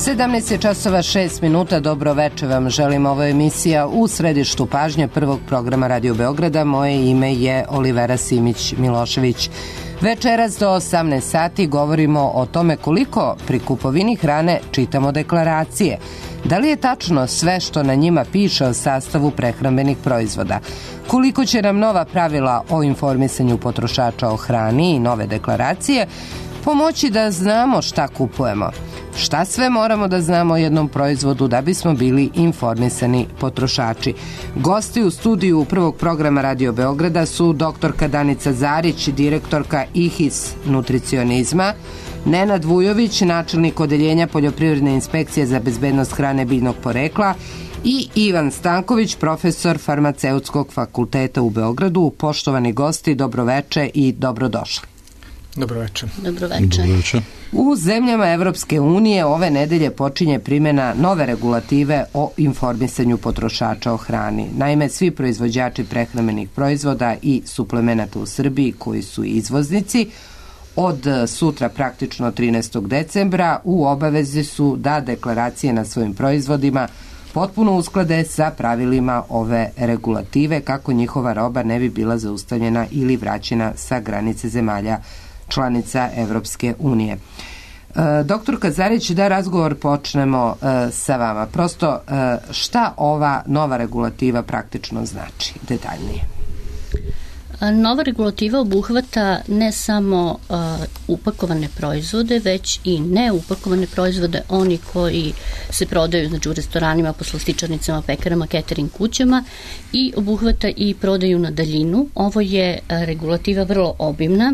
17:06. Dobro veče vam želim. Ovo je emisija u središtu pažnje prvog programa Radio Beograda. Moje ime je Olivera Simić-Milošević. Večeras do 18 sati govorimo o tome koliko pri kupovini hrane čitamo deklaracije. Da li je tačno sve što na njima piše o sastavu prehrambenih proizvoda? Koliko će nam nova pravila o informisanju potrošača o hrani i nove deklaracije pomoći da znamo šta kupujemo? Šta sve moramo da znamo o jednom proizvodu da bismo bili informisani potrošači? Gosti u studiju prvog programa Radio Beograda su doktorka Danica Zarić, direktorka IHIS nutricionizma, Nenad Vujović, načelnik odeljenja Poljoprivredne inspekcije za bezbednost hrane biljnog porekla i Ivan Stanković, profesor Farmaceutskog fakulteta u Beogradu. Poštovani gosti, dobroveče i dobrodošli. Dobroveče. Dobroveče. U zemljama Evropske unije ove nedelje počinje primjena nove regulative o informisanju potrošača o hrani. Naime, svi proizvođači prehrambenih proizvoda i suplemenata u Srbiji koji su izvoznici od sutra, praktično 13. decembra, u obavezi su da deklaracije na svojim proizvodima potpuno usklade sa pravilima ove regulative kako njihova roba ne bi bila zaustavljena ili vraćena sa granice zemalja članica Evropske unije. Doktorka Zarić, da razgovor počnemo sa vama. Prosto, šta ova nova regulativa praktično znači detaljnije? Nova regulativa obuhvata ne samo upakovane proizvode, već i neupakovane proizvode, oni koji se prodaju znači, u restoranima, poslastičarnicama, pekarama, catering kućama, i obuhvata i prodaju na daljinu. Ovo je regulativa vrlo obimna.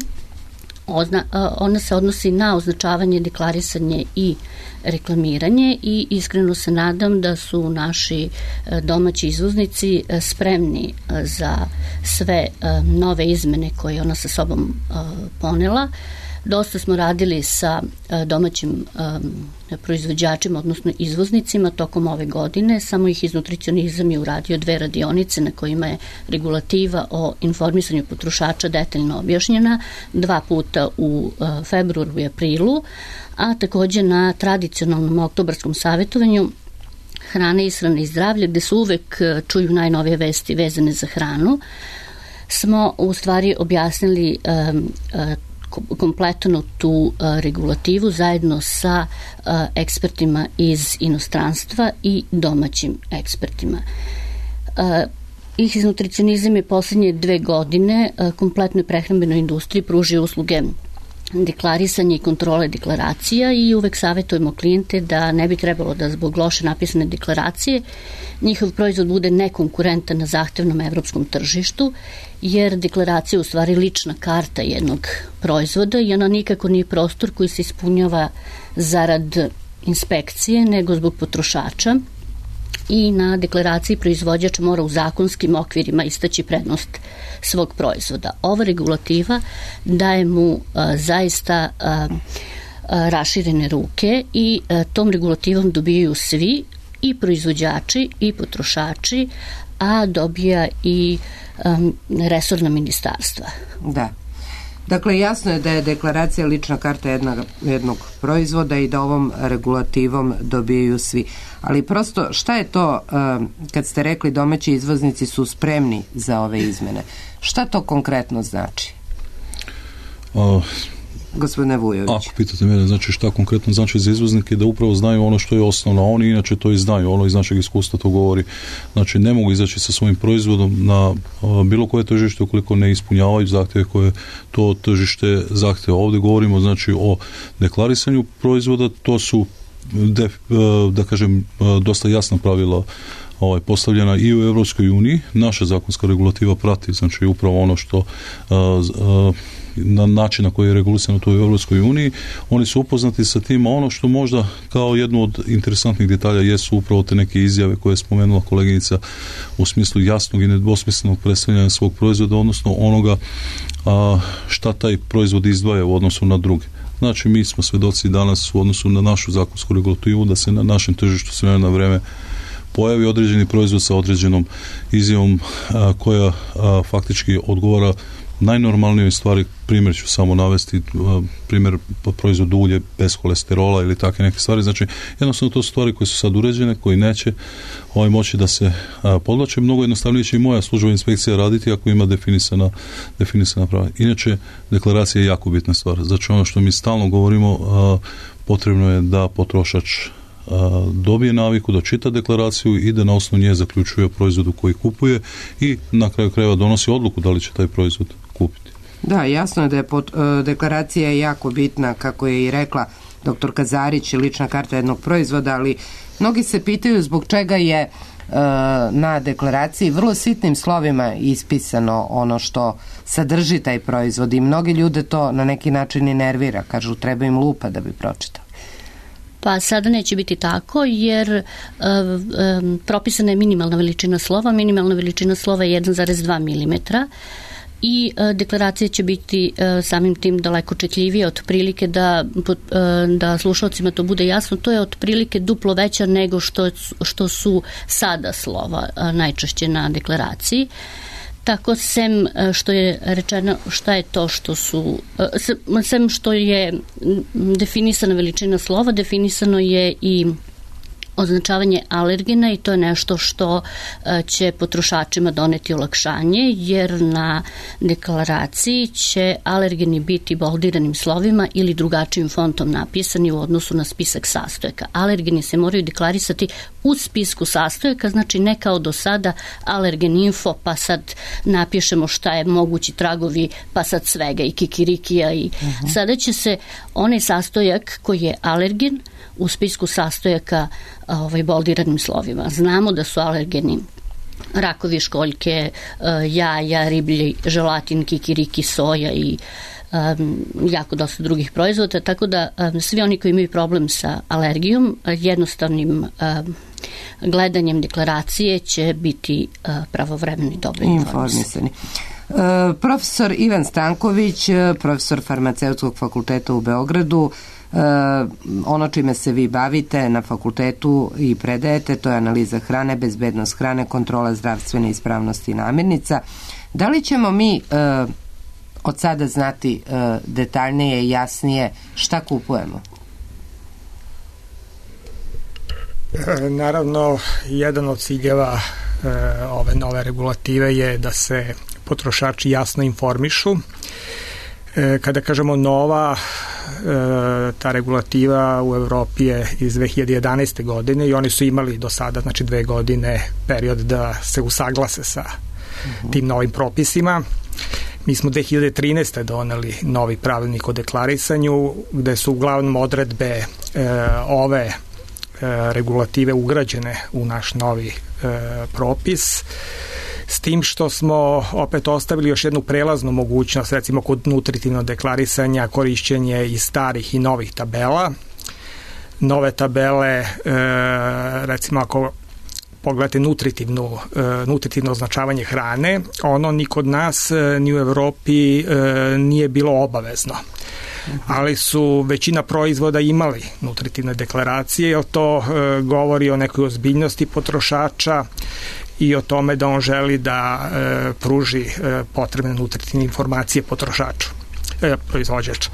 Ona se odnosi na označavanje, deklarisanje i reklamiranje i iskreno se nadam da su naši domaći izvoznici spremni za sve nove izmene koje ona sa sobom ponela. Dosta smo radili sa domaćim proizvođačima, odnosno izvoznicima tokom ove godine. Samo IHIS nutricionizam je uradio 2 radionice na kojima je regulativa o informisanju potrošača detaljno objašnjena, 2 puta u februaru i aprilu, a takođe na tradicionalnom oktobarskom savjetovanju Hrane, ishrane i zdravlje, gde se uvek čuju najnovije vesti vezane za hranu, smo u stvari objasnili kompletno tu regulativu zajedno sa ekspertima iz inostranstva i domaćim ekspertima. IHIS nutricionizam je poslednje 2 godine kompletnoj prehrambenoj industriji pružio usluge deklarisanja i kontrole deklaracija i uvek savjetujemo klijente da ne bi trebalo da zbog loše napisane deklaracije njihov proizvod bude nekonkurentan na zahtevnom evropskom tržištu, jer deklaracija je u stvari lična karta jednog proizvoda i ona nikako nije prostor koji se ispunjava zarad inspekcije, nego zbog potrošača. I na deklaraciji proizvođač mora u zakonskim okvirima istaći prednost svog proizvoda. Ova regulativa daje mu zaista raširene ruke i tom regulativom dobijaju svi, i proizvođači i potrošači, a dobija i resorna ministarstva. Da. Dakle, jasno je da je deklaracija lična karta jednog proizvoda i da ovom regulativom dobijaju svi. Ali prosto, šta je to, kad ste rekli domaći izvoznici su spremni za ove izmene? Šta to konkretno znači? Gospodine Vujović. Ako pitate mene, znači šta konkretno znači za izvoznike, da upravo znaju ono što je osnovno, a oni inače to i znaju, ono iz našeg iskustva to govori. Znači ne mogu izaći sa svojim proizvodom na bilo koje tržište ukoliko ne ispunjavaju zahtjeve koje to tržište zahtjeva. Ovdje govorimo znači o deklarisanju proizvoda, to su da kažem dosta jasna pravila postavljena i u Evropskoj uniji. Naša zakonska regulativa prati znači upravo ono što na način na koji je regulisano to u Evropskoj uniji. Oni su upoznati sa tim, a ono što možda kao jednu od interesantnih detalja jesu upravo te neke izjave koje je spomenula koleginica u smislu jasnog i nedvosmislenog predstavljanja svog proizvoda, odnosno onoga šta taj proizvod izdvaja u odnosu na druge. Znači mi smo svedoci danas u odnosu na našu zakonsku regulativu da se na našem tržištu s vremena na vreme pojavi određeni proizvod sa određenom izjavom koja faktički odgovara najnormalnijoj stvari, primjer ću samo navesti, primjer proizvod ulje bez kolesterola ili takve neke stvari, znači jednostavno to su stvari koje su sad uređene, koji neće moći da se podvlače. Mnogo jednostavnije će i moja službena inspekcija raditi ako ima definisana prava. Inače, deklaracija je jako bitna stvar. Znači ono što mi stalno govorimo, potrebno je da potrošač dobije naviku da čita deklaraciju i da na osnovu nje zaključuje o proizvodu koji kupuje i na kraju krajeva donosi odluku da li će taj proizvod kupiti. Da, jasno je da je deklaracija jako bitna, kako je i rekla dr. Kazarić, lična karta jednog proizvoda, ali mnogi se pitaju zbog čega je na deklaraciji vrlo sitnim slovima ispisano ono što sadrži taj proizvod i mnogi ljude to na neki način i nervira, kažu treba im lupa da bi pročitali. Pa sada neće biti tako jer propisana je minimalna veličina slova. Minimalna veličina slova je 1,2 mm i deklaracija će biti samim tim daleko čitljivija, otprilike da slušalcima to bude jasno, to je otprilike duplo veća nego što su sada slova najčešće na deklaraciji. Tako, sem što je rečeno šta je to što su, sem što je definisana veličina slova, definisano je i označavanje alergena i to je nešto što će potrošačima doneti olakšanje, jer na deklaraciji će alergeni biti boldiranim slovima ili drugačijim fontom napisani u odnosu na spisak sastojaka. Alergeni se moraju deklarisati u spisku sastojaka, znači ne kao do sada alergen info, pa sad napišemo šta je mogući tragovi, pa sad svega i kikirikija i sada će se onaj sastojak koji je alergen u spisku sastojaka boldiranim slovima. Znamo da su alergeni rakovi školjke, jaja, riblji želatin, kikiriki, soja i jako dosta drugih proizvoda, tako da svi oni koji imaju problem sa alergijom, jednostavnim gledanjem deklaracije će biti pravovremeno i dobro informisani. Profesor Ivan Stanković, profesor Farmaceutskog fakulteta u Beogradu, ono čime se vi bavite na fakultetu i predajete, to je analiza hrane, bezbednost hrane, kontrola zdravstvene ispravnosti namirnica. Da li ćemo mi od sada znati detaljnije i jasnije šta kupujemo? Naravno, jedan od ciljeva ove nove regulative je da se potrošači jasno informišu. Kada kažemo nova, ta regulativa u Evropi je iz 2011. godine i oni su imali do sada, znači 2 godine period da se usaglase sa tim novim propisima. Mi smo 2013. doneli novi pravilnik o deklarisanju gde su uglavnom odredbe ove regulative ugrađene u naš novi propis, s tim što smo opet ostavili još jednu prelaznu mogućnost, recimo kod nutritivnog deklarisanja, korišćenje i starih i novih tabela. Nove tabele, recimo ako pogledate nutritivno označavanje hrane, ono ni kod nas ni u Evropi nije bilo obavezno. Ali su većina proizvoda imali nutritivne deklaracije, jer to govori o nekoj ozbiljnosti potrošača i o tome da on želi da pruži potrebne nutritivne informacije potrošaču, proizvođaču.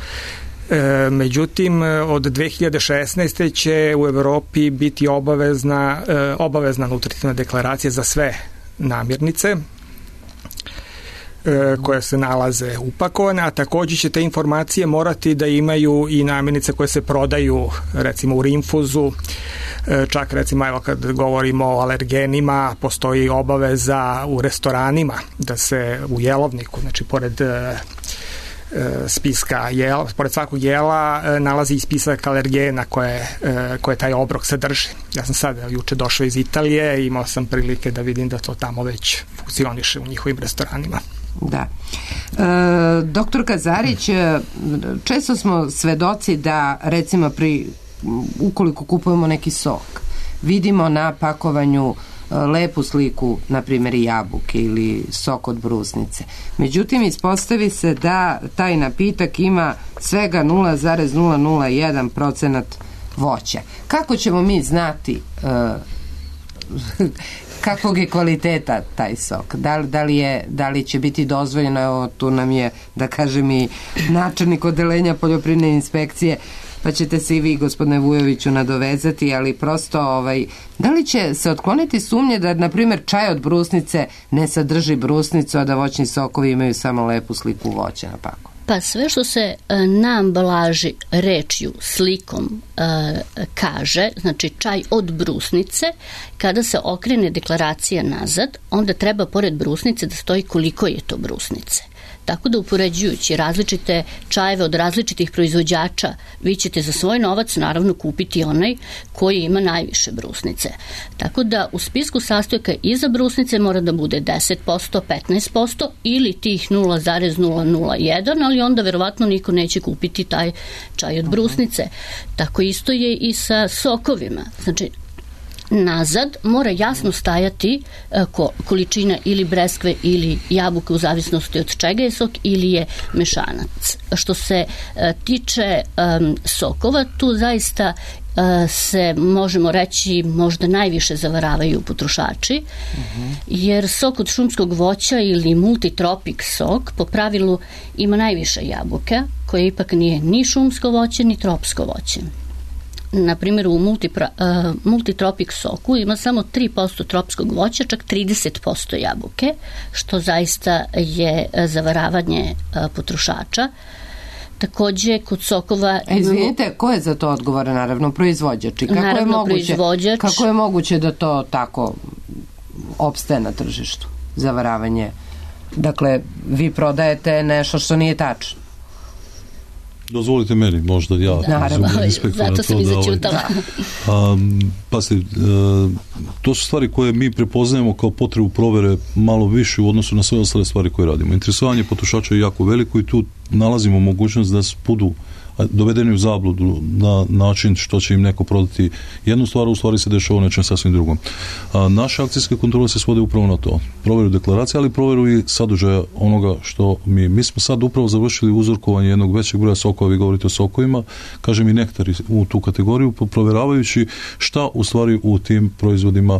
Međutim, od 2016. će u Evropi biti obavezna nutritivna deklaracija za sve namirnice koje se nalaze upakovane, a također će te informacije morati da imaju i namirnice koje se prodaju recimo u rinfuzu, čak recimo evo kad govorimo o alergenima postoji obaveza u restoranima da se u jelovniku, znači pored spiska jela, pored svakog jela nalazi i spisak alergena koje taj obrok sadrži. Ja sam sad juče došao iz Italije i imao sam prilike da vidim da to tamo već funkcioniše u njihovim restoranima. Da. Doktor Kazarić, često smo svedoci da recimo ukoliko kupujemo neki sok, vidimo na pakovanju lepu sliku, na primjer jabuke ili sok od brusnice. Međutim, ispostavi se da taj napitak ima svega 0,001% voća. Kako ćemo mi znati kakvog je kvaliteta taj sok? Da li će biti dozvoljeno, evo tu nam je, da kažem, i načelnik odeljenja poljoprivredne inspekcije, pa ćete se i vi, gospodine Vujoviću, nadovezati, ali prosto, da li će se otkloniti sumnje da, na primjer, čaj od brusnice ne sadrži brusnicu, a da voćni sokovi imaju samo lepu sliku voća na paku? Pa sve što se na ambalaži rečju, slikom kaže, znači čaj od brusnice, kada se okrene deklaracija nazad, onda treba pored brusnice da stoji koliko je to brusnice. Tako da upoređujući različite čajeve od različitih proizvođača, vi ćete za svoj novac naravno kupiti onaj koji ima najviše brusnice. Tako da u spisku sastojaka iza brusnice mora da bude 10%, 15% ili tih 0,001, ali onda verovatno niko neće kupiti taj čaj od brusnice. Tako isto je i sa sokovima. Znači, nazad mora jasno stajati količina ili breskve ili jabuke u zavisnosti od čega je sok ili je mešanac. Što se tiče sokova, tu zaista se, možemo reći, možda najviše zavaravaju potrošači, jer sok od šumskog voća ili multitropik sok po pravilu ima najviše jabuke, koje ipak nije ni šumsko voće ni tropsko voće. Na primjer, u multitropik soku ima samo 3% tropskog voća, čak 30% jabuke, što zaista je zavaravanje potrošača. Takođe, kod sokova... Izvinite, ko je za to odgovoran? Naravno, proizvođači. Proizvođač. Kako je moguće da to tako opstaje na tržištu? Zavaravanje. Dakle, vi prodajete nešto što nije tačno. Dozvolite meni, možda ja. Naravno, zato sam i začutala. To su stvari koje mi prepoznajemo kao potrebu provere malo više u odnosu na sve ostale stvari koje radimo. Interesovanje potrošača je jako veliko i tu nalazimo mogućnost da budu dovedeni u zabludu na način što će im neko prodati jednu stvar, u stvari se dešava nečem sasvim drugom. Naše akcijske kontrole se svode upravo na to. Proveru deklaracije, ali proveru i sadržaja onoga što mi smo sad upravo završili uzorkovanje jednog većeg broja sokova, vi govorite o sokovima, kažem i nektari u tu kategoriju, proveravajući šta u stvari u tim proizvodima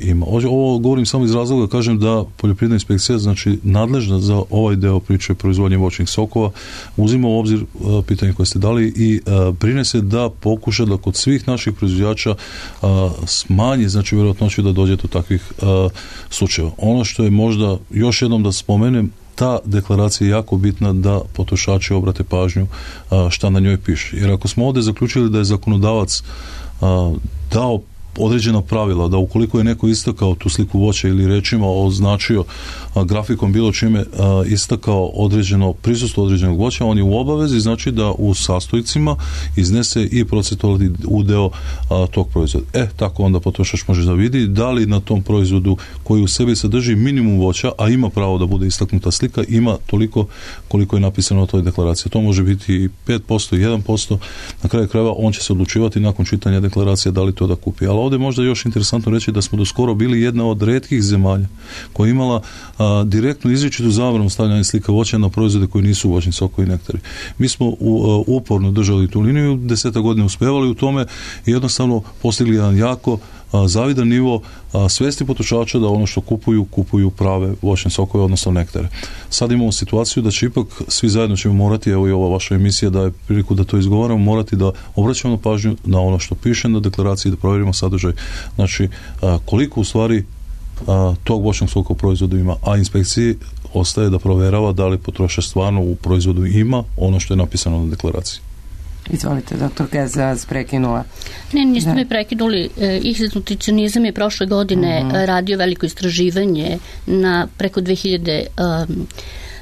ima. Ovo govorim samo iz razloga, kažem da poljoprivredna inspekcija, znači nadležna za ovaj deo priče proizvodnje voćnih sokova, uzima u obzir pitanje koje ste dali i brine se da pokuša da kod svih naših proizvođača smanji, znači vjerojatnoću da dođe do takvih slučajeva. Ono što je možda, još jednom da spomenem, ta deklaracija je jako bitna da potrošači obrate pažnju šta na njoj piše. Jer ako smo ovdje zaključili da je zakonodavac dao određena pravila, da ukoliko je neko istakao tu sliku voća ili rečima označio grafikom bilo čime istakao određeno prisustvo određenog voća, on je u obavezi, znači da u sastojcima iznese i procentualni udeo tog proizvoda. Tako onda potrošač može da vidi da li na tom proizvodu koji u sebi sadrži minimum voća, a ima pravo da bude istaknuta slika, ima toliko koliko je napisano na toj deklaraciji. To može biti 5%, 1%, na kraju krajeva on će se odlučivati nakon čitanja deklaracije da li to da kupi. Ali ovdje možda još interesantno reći da smo do skoro bili jedna od retkih zemalja koja je imala direktnu izričitu zabranu stavljanja slika voća na proizvode koji nisu voćni sokovi i nektari. Mi smo uporno držali tu liniju, 10 godina uspevali u tome i jednostavno postigli jedan jako zavidan nivo svesti potrošača da ono što kupuju prave voćne sokove, odnosno nektare. Sad imamo situaciju da će ipak svi zajedno ćemo morati, evo i ova vaša emisija daje priliku da to izgovaramo, morati da obraćamo pažnju na ono što piše na deklaraciji, da provjerimo sadržaj. Znači, koliko u stvari tog voćnog soka u proizvodu ima, a inspekciji ostaje da provjerava da li potrošač stvarno u proizvodu ima ono što je napisano na deklaraciji. Izvolite, doktorka, ja vas prekinula. Ne, niste me prekinuli. IHSET nutricionizam je prošle godine radio veliko istraživanje na preko 2000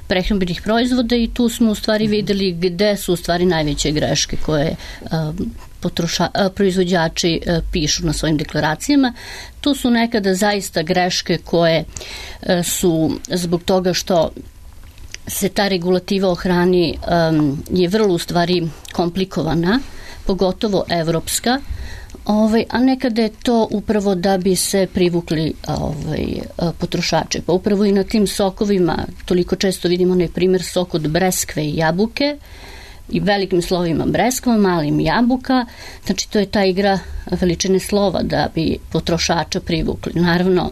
prehrambenih proizvoda i tu smo u stvari videli gde su u stvari najveće greške koje proizvođači pišu na svojim deklaracijama. Tu su nekada zaista greške koje su zbog toga što se ta regulativa o hrani je vrlo u stvari komplikovana, pogotovo evropska, a nekada je to upravo da bi se privukli potrošače. Pa upravo i na tim sokovima toliko često vidimo onaj primjer sok od breskve i jabuke, i velikim slovima breskva, malim jabuka, znači to je ta igra veličine slova da bi potrošača privukli. Naravno,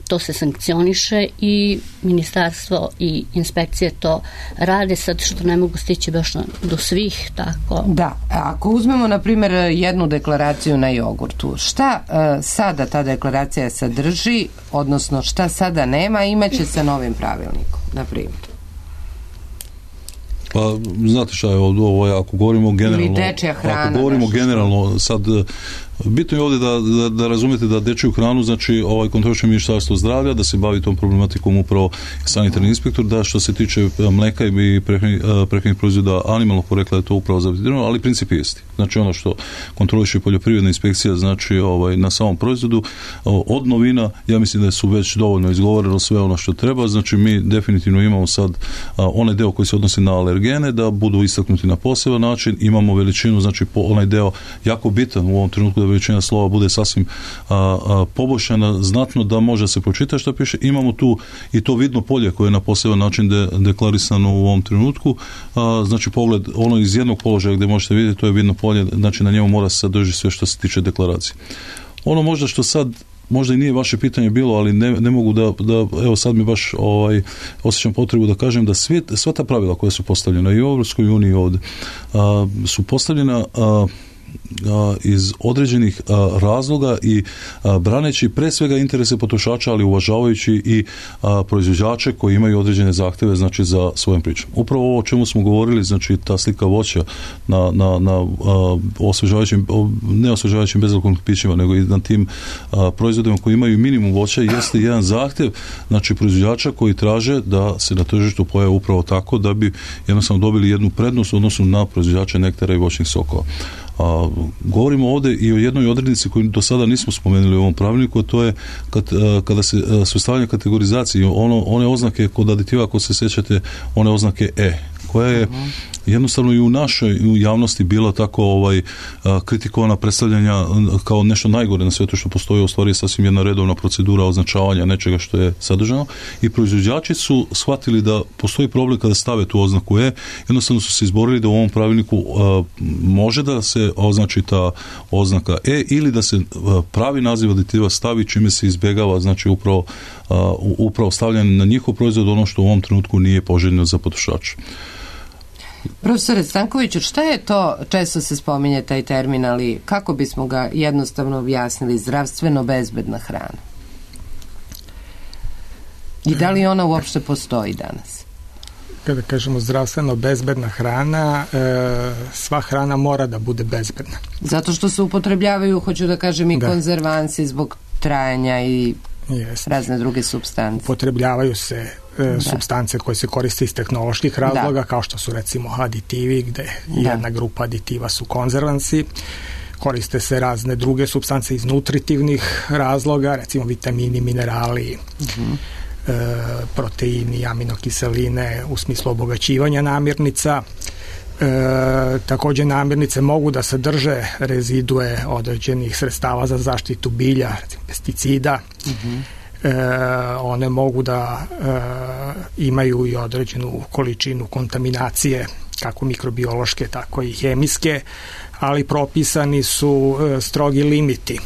to se sankcioniše i ministarstvo i inspekcije to rade, sad što ne mogu stići baš do svih, tako. Da, ako uzmemo na primjer jednu deklaraciju na jogurtu, šta sada ta deklaracija sadrži, odnosno šta sada nema, imaće sa novim pravilnikom, na primjer? Pa, znate šta je ovo, ako govorimo generalno, sad bitno je ovdje da razumijete da dečju hranu, znači kontroliše Ministarstvo zdravlja, da se bavi tom problematikom upravo sanitarni inspektor, da što se tiče mleka i prehrambenih proizvoda animalnog porekla je to upravo zavetirano, ali princip je isti. Znači ono što kontroliše poljoprivredna inspekcija, znači na samom proizvodu, od novina, ja mislim da su već dovoljno izgovorilo sve ono što treba, znači mi definitivno imamo sad onaj deo koji se odnosi na alergene, da budu istaknuti na poseban način, imamo veličinu, znači onaj deo jako bitan u ovom trenutku da veličina slova bude sasvim poboljšana znatno da može se pročitati što piše. Imamo tu i to vidno polje koje je na poseban način deklarisano u ovom trenutku. Znači pogled, ono iz jednog položaja gdje možete vidjeti, to je vidno polje, znači na njemu mora se sadržiti sve što se tiče deklaracije. Ono možda što sad možda i nije vaše pitanje bilo, ali ne mogu da evo sad mi baš osjećam potrebu da kažem da sva ta pravila koja su postavljena i u Europskoj uniji ovdje su postavljena iz određenih razloga i braneći pre svega interese potrošača, ali uvažavajući i proizvođače koji imaju određene zahteve, znači za svojom pričom. Upravo ovo o čemu smo govorili, znači ta slika voća na osvežavajućim, ne osvežavajućim bezalkoholnim pićima, nego i na tim proizvodima koji imaju minimum voća, jeste jedan zahtjev, znači proizvođača koji traže da se na tržištu pojave upravo tako da bi jednostavno dobili jednu prednost u odnosu na proizvođače nektara i voćnih sokova. Govorimo ovdje i o jednoj odrednici koju do sada nismo spomenuli u ovom pravilniku, a to je kada se sastavlja kategorizacije, one oznake kod aditiva, ako se sjećate, one oznake E, koja je jednostavno i u našoj javnosti bila tako kritikovana, predstavljanja kao nešto najgore na svetu što postoji, u stvari je sasvim jedna redovna procedura označavanja nečega što je sadržano, i proizvođači su shvatili da postoji problem kada stave tu oznaku E, jednostavno su se izborili da u ovom pravilniku može da se označi ta oznaka E ili da se pravi naziv aditiva stavi, čime se izbjegava, znači upravo stavljanje na njihov proizvod ono što u ovom trenutku nije poželjno za potrošača. Profesore Stankoviću, šta je to, često se spominje taj termin, ali kako bismo ga jednostavno objasnili, zdravstveno bezbedna hrana? I da li ona uopšte postoji danas? Kada kažemo zdravstveno bezbedna hrana, sva hrana mora da bude bezbedna. Zato što se upotrebljavaju, hoću da kažem, i konzervansi zbog trajanja i razne druge supstance. Upotrebljavaju se supstance koje se koriste iz tehnoloških razloga, kao što su recimo aditivi, gde jedna grupa aditiva su konzervansi. Koriste se razne druge supstance iz nutritivnih razloga, recimo vitamini, minerali, proteini, aminokiseline u smislu obogaćivanja namirnica. Također namirnice mogu da sadrže rezidue određenih sredstava za zaštitu bilja, recimo pesticida. One mogu da imaju i određenu količinu kontaminacije, kako mikrobiološke, tako i hemijske, ali propisani su strogi limiti.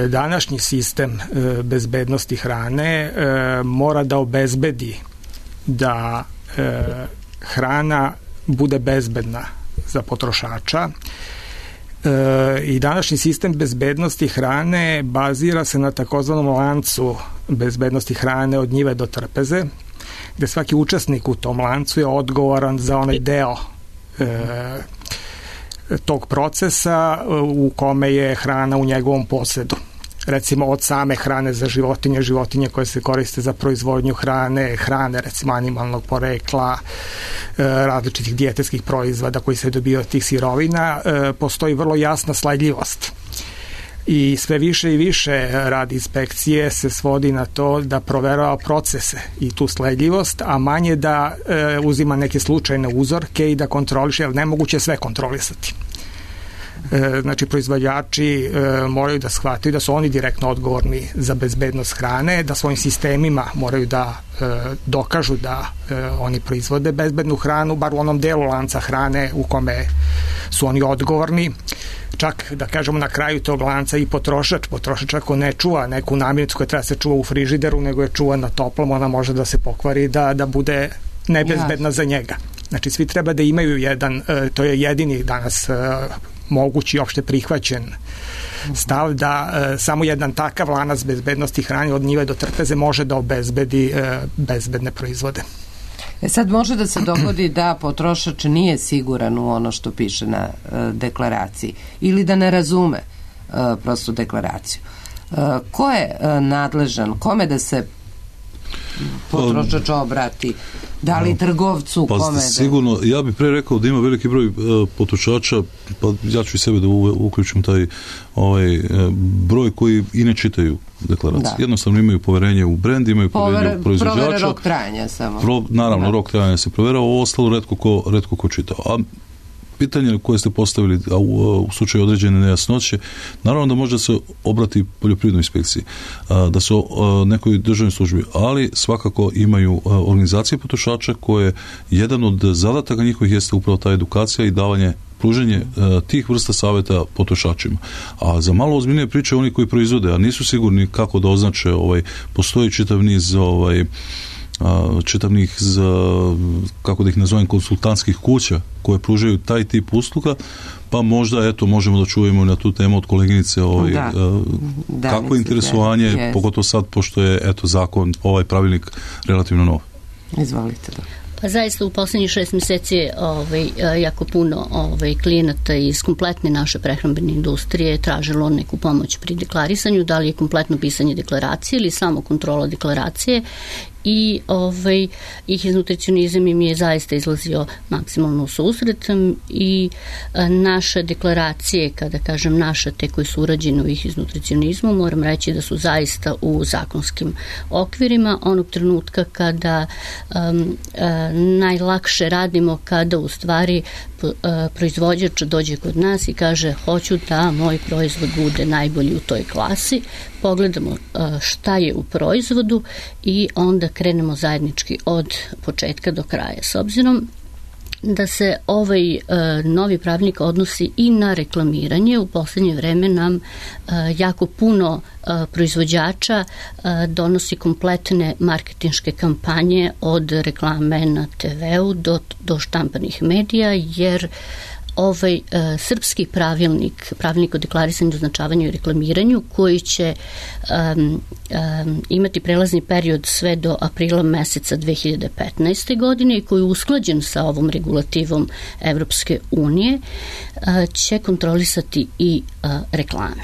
Današnji sistem bezbednosti hrane mora da obezbedi da hrana bude bezbedna za potrošača, i današnji sistem bezbednosti hrane bazira se na takozvanom lancu bezbednosti hrane od njive do trpeze, gde svaki učesnik u tom lancu je odgovoran za onaj deo tog procesa u kome je hrana u njegovom posedu. Recimo od same hrane za životinje koje se koriste za proizvodnju hrane recimo animalnog porekla, različitih dijetetskih proizvoda koji se dobiju od tih sirovina, postoji vrlo jasna sledljivost. I sve više i više rad inspekcije se svodi na to da proverava procese i tu sledljivost, a manje da uzima neke slučajne uzorke i da kontroliše, jer nemoguće sve kontrolisati. Znači, proizvođači moraju da shvataju da su oni direktno odgovorni za bezbednost hrane, da svojim sistemima moraju da dokažu da oni proizvode bezbednu hranu, bar u onom delu lanca hrane u kome su oni odgovorni. Čak, da kažemo, na kraju tog lanca i potrošač ako ne čuva neku namirnicu koja treba se čuva u frižideru, nego je čuva na toplom, ona može da se pokvari, da bude nebezbedna za njega. Znači, svi treba da imaju jedan, to je jedini danas mogući opšte prihvaćen stav, da samo jedan takav lanac bezbednosti hrane od njive do trpeze može da obezbedi bezbedne proizvode. Sad može da se dogodi da potrošač nije siguran u ono što piše na deklaraciji ili da ne razume prosto deklaraciju. Ko je nadležan? Kome da se potrošač obrati? Da li trgovcu? Pa kome sigurno, ja bih pre rekao da ima veliki broj potrošača, pa ja ću i sebe da uključim taj broj koji i ne čitaju deklaracije. Jednostavno imaju poverenje u brend, imaju poverenje u proizvođača. Provere rok trajanja samo. Naravno, rok trajanja se provera, ovo ostalo retko ko čita. A pitanje koje ste postavili u slučaju određene nejasnoće, naravno da može se obrati poljoprivrednoj inspekciji, da su nekoj državnoj službi, ali svakako imaju organizacije potrošača koje jedan od zadataka njihovih jeste upravo ta edukacija i pruženje tih vrsta savjeta potrošačima. A za malo ozbiljnije priče oni koji proizvode, a nisu sigurni kako da označe, postoji čitav niz kako da ih nazovem, konsultantskih kuća koje pružaju taj tip usluga, pa možda možemo da čujemo na tu temu od koleginice kako je interesovanje, pogotovo sad pošto je zakon, pravilnik relativno nov. Izvolite. Pa zaista u poslednjih 6 meseci je jako puno klijenata iz kompletne naše prehrambene industrije tražilo neku pomoć pri deklarisanju, da li je kompletno pisanje deklaracije ili samo kontrola deklaracije, i ih iz nutricionizam im je zaista izlazio maksimalno u susret i naše deklaracije, kada kažem naše, te koje su urađene u ih iz nutricionizmu, moram reći da su zaista u zakonskim okvirima onog trenutka kada najlakše radimo, kada u stvari proizvođač dođe kod nas i kaže hoću da moj proizvod bude najbolji u toj klasi, pogledamo šta je u proizvodu i onda krenemo zajednički od početka do kraja. S obzirom da se novi pravilnik odnosi i na reklamiranje, u poslednje vreme nam jako puno proizvođača donosi kompletne marketinške kampanje od reklame na TV-u do štampanih medija, jer srpski pravilnik o deklarisanju, označavanju i reklamiranju, koji će imati prelazni period sve do aprila meseca 2015. godine i koji je usklađen sa ovom regulativom Evropske unije, će kontrolisati i reklame.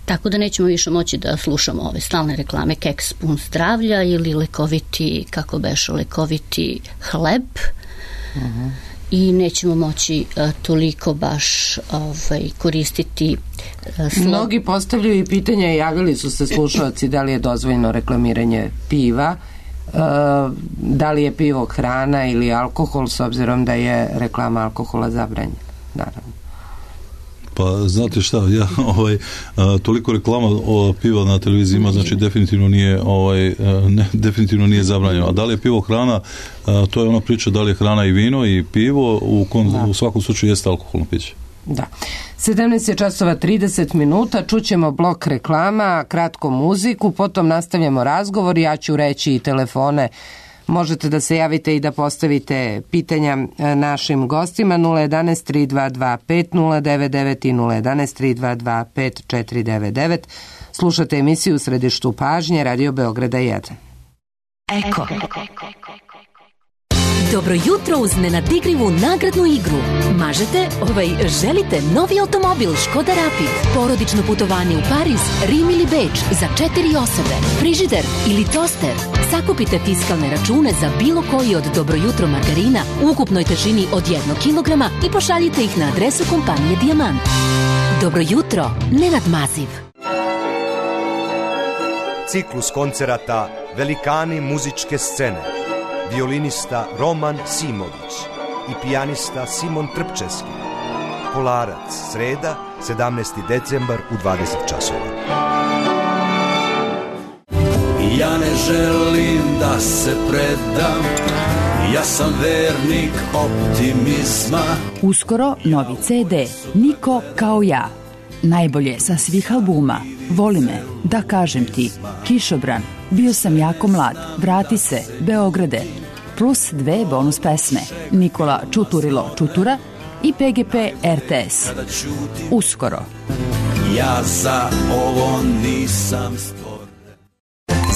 Tako da nećemo više moći da slušamo ove stalne reklame keks pun zdravlja ili lekoviti hleb. I nećemo moći toliko baš koristiti Mnogi postavljaju i pitanja, javili su se slušalci da li je dozvoljeno reklamiranje piva, da li je pivo hrana ili alkohol, s obzirom da je reklama alkohola zabranjena, naravno. Pa znate šta, ja toliko reklama piva na televiziji ima, znači definitivno nije zabranjeno. A da li je pivo hrana, to je ona priča da li je hrana i vino i pivo, u svakom slučaju jeste alkoholno piće. Da. 17 je časova 30 minuta, čućemo blok reklama, kratko muziku, potom nastavljamo razgovor, ja ću reći i telefone. Možete da se javite i da postavite pitanja našim gostima 011 322 5099 i 011 322 5499. Slušate emisiju U središtu pažnje Radio Beograda 1. Eko. Dobro jutro uz nenadigrivu nagradnu igru. Želite novi automobil Škoda Rapid, porodično putovanje u Pariz, Rim ili Beč za 4 osobe, frižider ili toster. Sakupite fiskalne račune za bilo koji od Dobro jutro margarina u ukupnoj težini od 1 kilograma i pošaljite ih na adresu kompanije Dijamant. Dobro jutro, Nenad Maziv. Ciklus koncerata Velikani muzičke scene. Violinista Roman Simović i pijanista Simon Trpčevski Kolarac, sreda, 17. decembar u 20 časova. Ja ne želim da se predam, ja sam vernik optimizma. Uskoro novi CD, Niko kao ja. Najbolje sa svih albuma, Voli me, Da kažem ti, Kišobran, Bio sam jako mlad, Vrati se, Beograde, plus 2 bonus pesme, Nikola Čuturilo Čutura i PGP RTS. Uskoro. Ja za ovo nisam stvoren.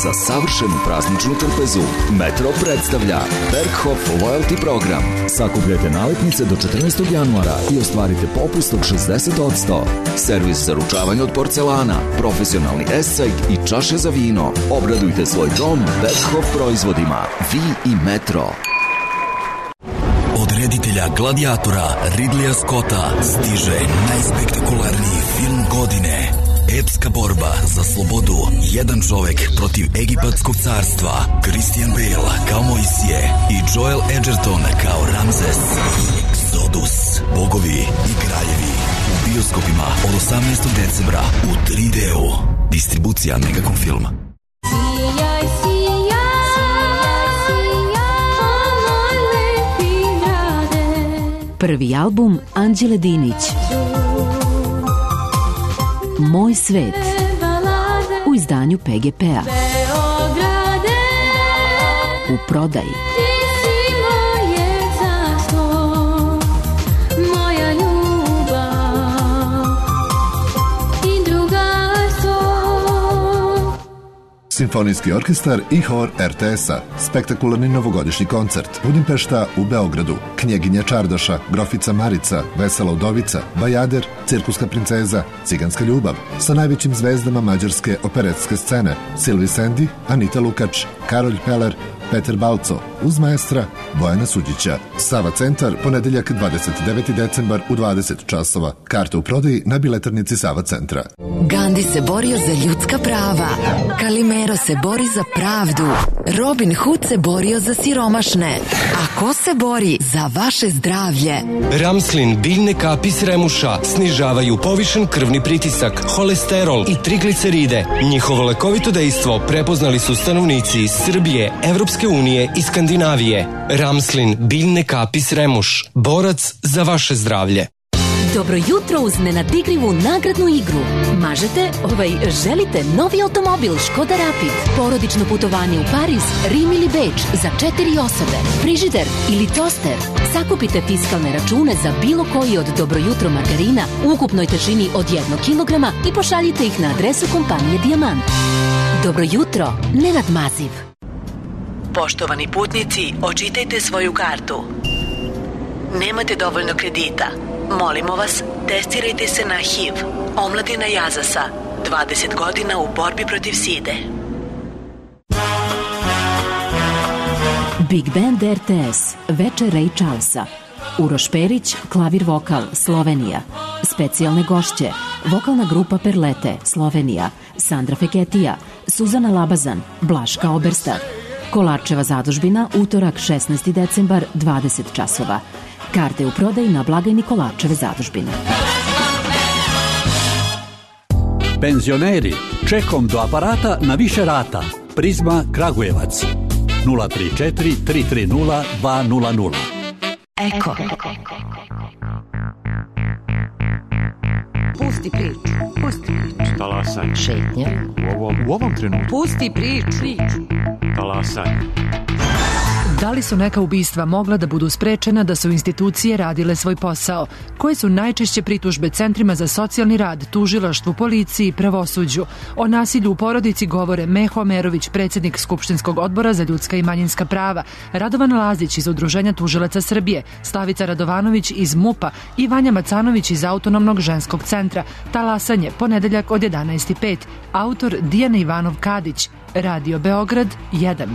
Za savršenu prazničnu trpezu Metro predstavlja Berghof Loyalty program. Sakupljajte nalepnice do 14. januara i ostvarite popust od 60%. Servis za ručavanje od porcelana, profesionalni esajt i čaše za vino. Obradujte svoj dom Berghof proizvodima. Vi i Metro. Od reditelja Gladiatora Ridleya Scotta stiže najspektakularniji film godine. Epska borba za slobodu. Jedan čovek protiv egipatskog carstva. Christian Bale kao Mojsije i Joel Edgerton kao Ramzes. Exodus. Bogovi i kraljevi. U bioskopima od 18. decembra u 3D-u. Distribucija Megacom Film. Sijaj, lepi grade. Prvi album Anđele Dinić. Moj svet u izdanju PGP-a. U prodaji. Simfonijski orkestar i hor RTS-a. Spektakularni novogodišnji koncert. Budimpešta u Beogradu. Knjeginja Čardaša, Grofica Marica, Vesela udovica, Bajader, Cirkuska princeza, Ciganska ljubav. Sa najvećim zvezdama mađarske operetske scene. Silvi Sendi, Anita Lukač, Karolj Peler, Peter Balco, uz maestra Bojana Suđića. Sava centar, ponedeljak 29. decembar u 20 časova. Karte u prodaji na biletarnici Sava centra. Gandhi se borio za ljudska prava. Kalimero se bori za pravdu. Robin Hood se borio za siromašne. A ko se bori za vaše zdravlje? Ramslin biljne kapi s remuša snižavaju povišen krvni pritisak, holesterol i trigliceride. Njihovo lekovito dejstvo prepoznali su stanovnici iz Srbije, Evropske unije i Skandinavije. Ramslin biljne kapi s remuš. Borac za vaše zdravlje. Dobro jutro uz nenadigrivu nagradnu igru. Želite novi automobil Škoda Rapid, porodično putovanje u Pariz, Rim ili Beč za 4 osobe, frižider ili toster. Sakupite fiskalne račune za bilo koji od Dobro jutro margarina u ukupnoj težini od 1 kilograma i pošaljite ih na adresu kompanije Dijamant. Dobro jutro, Nenad Maziv. Poštovani putnici, očitajte svoju kartu. Nemate dovoljno kredita. Molimo vas, testirajte se na HIV. Omladina Jazasa, 20 godina u borbi protiv side. Big Band RTS, večer Ray Charlesa. Uroš Perić, klavir vokal, Slovenija. Specijalne gošće, vokalna grupa Perlete, Slovenija. Sandra Feketija, Suzana Labazan, Blaška Oberstar. Kolarčeva zadužbina, utorak 16. decembar, 20 časova. Karte u prodaji na blagajni Kolarčeve zadužbine. Penzioneri, čekom do aparata na više rata. Prizma Kragujevac. 034 330 200. Eko. Pusti priču. Talasaj. Šetnja. U ovom trenutku. Pusti priču. Talasaj. Da li su neka ubistva mogla da budu sprečena da su institucije radile svoj posao? Koje su najčešće pritužbe centrima za socijalni rad, tužilaštvu, policiji i pravosuđu? O nasilju u porodici govore Meho Amerović, predsjednik Skupštinskog odbora za ljudska i manjinska prava, Radovan Lazić iz Udruženja tužilaca Srbije, Slavica Radovanović iz MUP-a i Vanja Macanović iz Autonomnog ženskog centra. Talasanje, ponedeljak od 11:05. Autor Dijana Ivanov Kadić. Radio Beograd 1.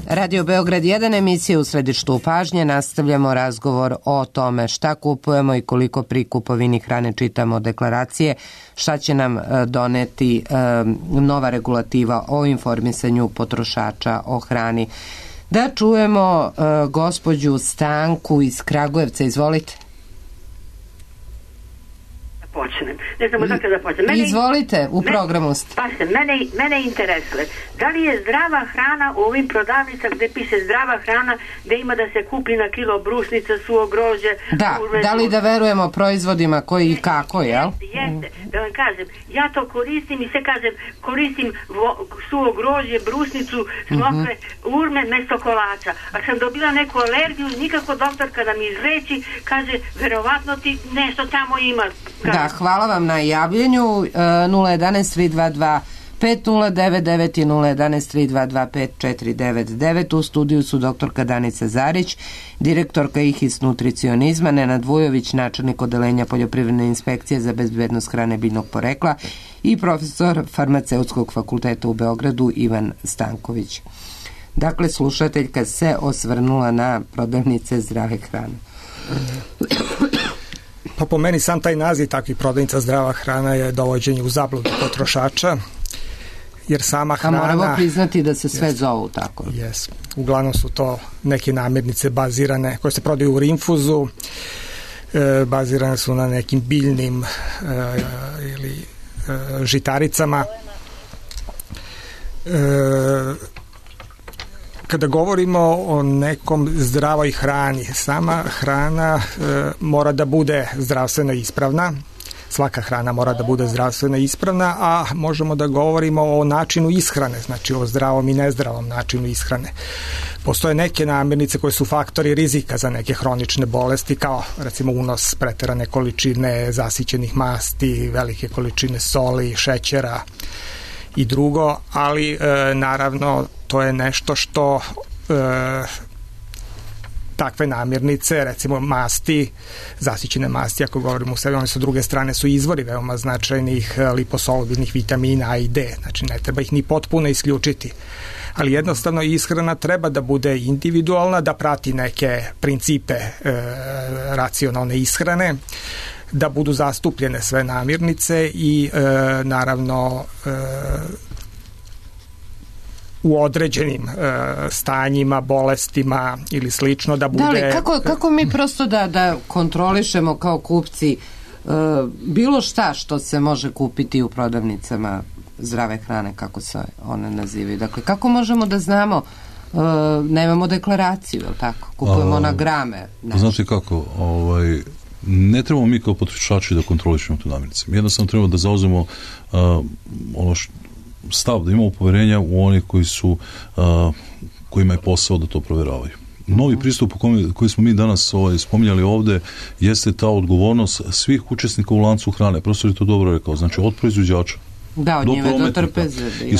Radio Beograd 1, emisija u središtu pažnje. Nastavljamo razgovor o tome šta kupujemo i koliko pri kupovini hrane čitamo deklaracije, šta će nam doneti nova regulativa o informisanju potrošača o hrani. Da čujemo gospođu Stanku iz Kragujevca, izvolite. Počnem. Ne znam odakle da počnem. Izvolite, u programu ste. Pa se, mene interesuje. Da li je zdrava hrana u ovim prodavnicama gde piše zdrava hrana, gde ima da se kupi na kilo brusnica, suvo grožđe? Da li da verujemo proizvodima koji i kako, jel? Jeste, da vam kažem, ja to koristim i sve kažem, koristim suvo grožđe, brusnicu, smokve, urme, mesto kolača. A sam dobila neku alergiju, nikako doktor kada mi izreći, kaže, verovatno ti nešto tamo ima. Da, hvala vam na javljenju. 011-322 5099 i 011-322 5499. U studiju su doktorka Danica Zarić, direktorka IHIS nutricionizma, Nenad Vujović, načelnik odeljenja poljoprivredne inspekcije za bezbednost hrane biljnog porekla i profesor farmaceutskog fakulteta u Beogradu Ivan Stanković. Dakle, slušateljka se osvrnula na prodavnice zdrave hrane. Pa po meni sam taj naziv takvih prodavnica zdrava hrana je dovođenje u zabludu potrošača, jer sama hrana... A moramo priznati da se sve zovu tako. Jes. Uglavnom su to neke namirnice bazirane, koje se prodaju u rinfuzu, bazirane su na nekim biljnim ili žitaricama. Kada govorimo o nekom zdravoj hrani, sama hrana mora da bude zdravstveno ispravna, svaka hrana mora da bude zdravstveno ispravna, a možemo da govorimo o načinu ishrane, znači o zdravom i nezdravom načinu ishrane. Postoje neke namirnice koje su faktori rizika za neke hronične bolesti, kao recimo unos preterane količine zasićenih masti, velike količine soli, šećera i drugo, ali naravno to je nešto što takve namirnice, recimo masti, zasićene masti, ako govorimo u sebi, one su druge strane su izvori veoma značajnih liposolubilnih vitamina A i D, znači ne treba ih ni potpuno isključiti. Ali jednostavno ishrana treba da bude individualna, da prati neke principe racionalne ishrane, da budu zastupljene sve namirnice i naravno u određenim stanjima, bolestima ili slično da bude... Da li, kako mi prosto da kontrolišemo kao kupci bilo šta što se može kupiti u prodavnicama zdrave hrane, kako se one nazivaju? Dakle, kako možemo da znamo, nemamo deklaraciju, je li tako? Kupujemo na grame. Znate kako, ne trebamo mi kao potrošači da kontrolišemo tu namirnice. Jednostavno trebamo da zauzmemo stav, da imamo poverenja u one kojima je posao da to proveravaju. Novi pristup koji smo mi danas spominjali ovde jeste ta odgovornost svih učesnika u lancu hrane. Profesor je to dobro rekao, znači od proizvođača od njime do trpeze. I